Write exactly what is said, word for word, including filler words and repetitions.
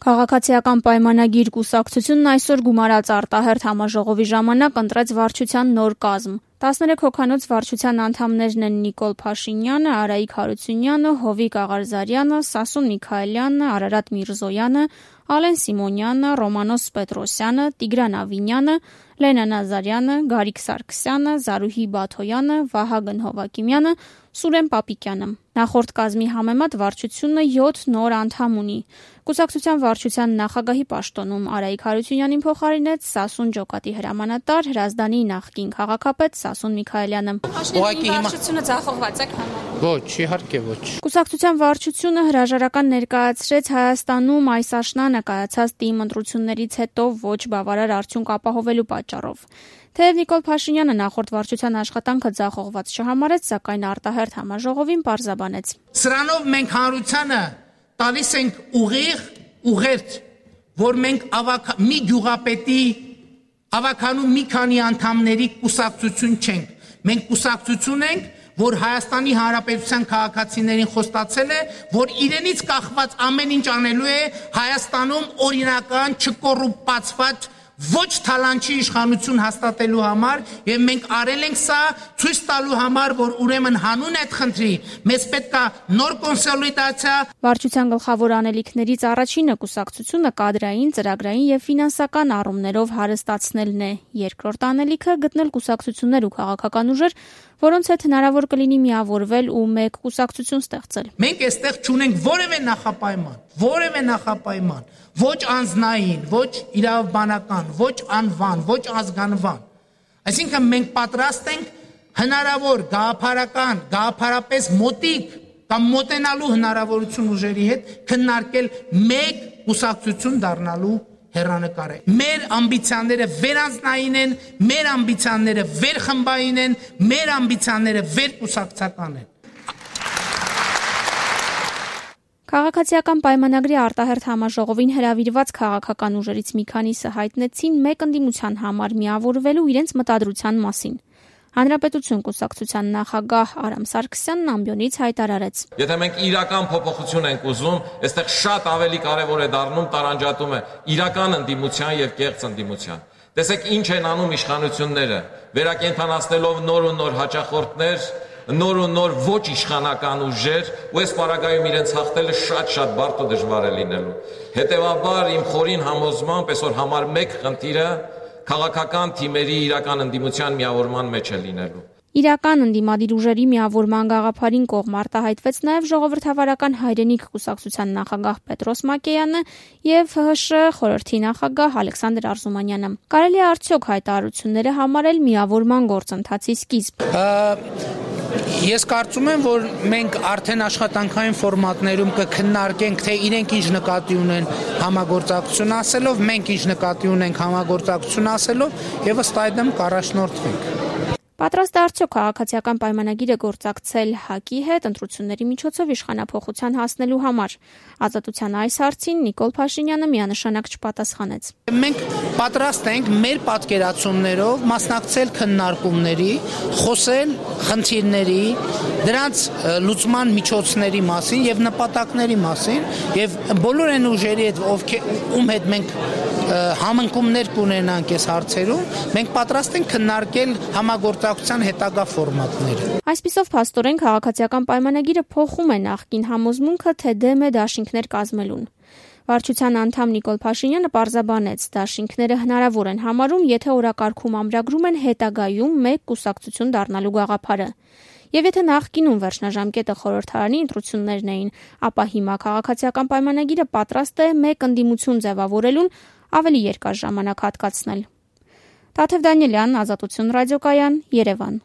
Քաղաքացիական պայմանագիր կուսակցությունն այսօր գումարած արտահերթ համաժողովի ժամանակ ընտրեց վարչության նոր կազմ։ տասներեք հոգանոց վարչության անդամներն են Նիկոլ Փաշինյանը, Արայիկ Հարությունյանը, Հովիկ Աղարզարյանը, Սասուն Միքայելյանը, Արարատ Միրզոյանը, Ալեն Սիմոնյանը, Ռոմանոս Պետրոսյանը, Տիգրան Ավինյանը, Լենա Նազարյանը, Գարիկ Սարգսյանը, Զարուհի Բաթոյանը, Վահագն Հովակիմյանը, Սուրեն Պապիկյանը։ Նախորդ կազմի համեմատ վարչությունը յոթ նոր անդամ ունի։ Կուսակցության վարչության նախագահի պաշտոնում Արայիկ Հարությունյանին փոխարինեց Սասուն Ջոկատի հրամանատար Հրազդանի նախկին քաղաքապետ Սասուն Միքայելյանը։ Ուղղակի վարչությունը ձախողված է համարում։ Ոչ, իհարկե ոչ։ Կուսակցության վարչությունը հրաժարական ներկայացրեց Հայաստանում այս աշնանը կայացած ՏԻՄ ընտրություններից հետո ոչ բավարար արդյունք ապահովելու պատճառով։ Թեև Նիկոլ Փաշինյանը նախորդ վարչության աշխատանքը ձախողված չհամարեց, սակայն արտահերթ համաժողովին պարզաբանեց. Սրանով մենք հանրությանը տալիս ենք ուղիղ ուղերձ, որ մենք ավակ մի գյուղապետի ավականու մի քանի անդամների կուսակցություն չենք։ Մենք կուսակցություն ենք, որ Հայաստանի Հանրապետության քաղաքացիներին խոստացել է, որ իրենից կախված ամեն ինչ անելու է Հայաստանում օրինական, չկոռուպացված ոչ թալանչի իշխանություն հաստատելու համար եւ մենք արել ենք սա ցույց տալու համար, որ ուրեմն հանուն այդ խնդրի մեզ պետք է նոր կոնսոլիդացիա։ Վարչության գլխավոր անելիքներից առաջինը կուսակցությունը կադրային, ծրագրային եւ ֆինանսական առումներով հարստացնելն է։ Երկրորդ անելիքը գտնել կուսակցություններ ու քաղաքական ուժեր, որոնց հետ հնարավոր կլինի միավորվել ու մեկ կուսակցություն ստեղծել։ Մենք այստեղ չունենք որևէ նախապայման, որևէ նախապայման, ոչ անձնային, ոչ իրավաբանական, ոչ անվան, ոչ ազգանվան։ Այսինքն մենք պատրաստ ենք հնարավոր գաղափարական, գաղափարապես մոտիկ կամ մոտենալու հնարավորություն ուժերի հետ քննարկել մեկ կուսակցություն դառնալու հեռանկարը։ Մեր ամբիցիաները վերանձնային են, մեր ամբիցիաները վերխմբային են, մեր ամբիցիաները վերկուսակցական են։ Քաղաքացիական պայմանագրի արտահերթ համաժողովին հրավիրված քաղաքական ուժերից մի քանիսը հայտնեցին մեկ ընդդիմության համար միավորվելու իրենց մտադրության մասին։ Հանրապետություն կուսակցության նախագահ Արամ Սարգսյանն ամբիոնից հայտարարեց. Եթե մենք իրական փոփոխություն ենք ուզում, այստեղ շատ ավելի կարևոր է դառնում տարանջատումը իրական ընդդիմության եւ կեղծ ընդդիմության։ Տեսեք ինչ են անում իշխանությունները, վերակենդանացնելով նոր ու նոր հաճախորդներ, նոր ու նոր ոչ իշխանական ուժեր, ու այս պարագայում իրենց հաղթելը շատ-շատ բարդ ու դժվար է լինելու։ Հետևաբար իմ խորին համոզմամբ այսօր համար մեկ խնդիրը քաղաքական թիմերի իրական ընդդիմության միավորման մեջ է լինելու։ Իրական ընդդիմադիր ուժերի միավորման գաղափարին կողմ արտահայտվեց նաև ժողովրդավարական հայրենիք կուսակցության նախագահ Պետրոս Մակեյանը եւ ՀՀՇ խորհրդի նախագահ Ալեքսանդր Արզումանյանը։ Կարելի է արդյոք հայտարարությունները համարել միավորման գործընթացի սկիզբ։ Ես կարծում եմ, որ մենք արդեն աշխատանքային ֆորմատներում կքննարկենք, թե իրենք ինչ նկատի ունեն համագործակցություն ասելով, մենք ինչ նկատի ունենք համագործակցություն ասելով եւ ըստ այդմ կառաջնորդվենք։ Պատրաստ է արդյոք քաղաքացիական պայմանագիրը գործակցել ՀԱԿ-ի հետ ընտրությունների միջոցով իշխանափոխության հասնելու համար։ Ազատության այս հարցին Նիկոլ Փաշինյանը միանշանակ չպատասխանեց։ Մենք պատրաստ ենք մեր պատկերացումներով մասնակցել քննարկումների, խոսել խնդիրների, դրանց լուծման միջոցների մասին եւ նպատակների մասին եւ բոլոր այն ուժերի հետ, ովքեր ում հետ մենք համընկումներ կունենանք այս հարցերում, մենք պատրաստ ենք քննարկել համագործակցության հետագա ֆորմատները։ Այսպիսով փաստորեն քաղաքացիական պայմանագիրը փոխում է նախկին համոզմունքը, թե դեմ է դաշինքներ կազմելուն։ Վարչության անդամ Նիկոլ Փաշինյանը պարզաբանեց, դաշինքները հնարավոր են համարում, եթե օրակարգում ամրագրում են հետագայում մեկ կուսակցություն դառնալու գաղափարը։ Եվ եթե նախկինում վերջնաժամկետը խորհրդարանի ընտրություններն էին, ապա հիմա քաղաքացիական պայմանագիրը պատրաստ է մեկ ընդդիմություն ձևավորելուն ավելի երկար ժամանակ հատկացնել։ Տաթև Դանիելյան, Ազատություն ռադիոկայան, Երևան։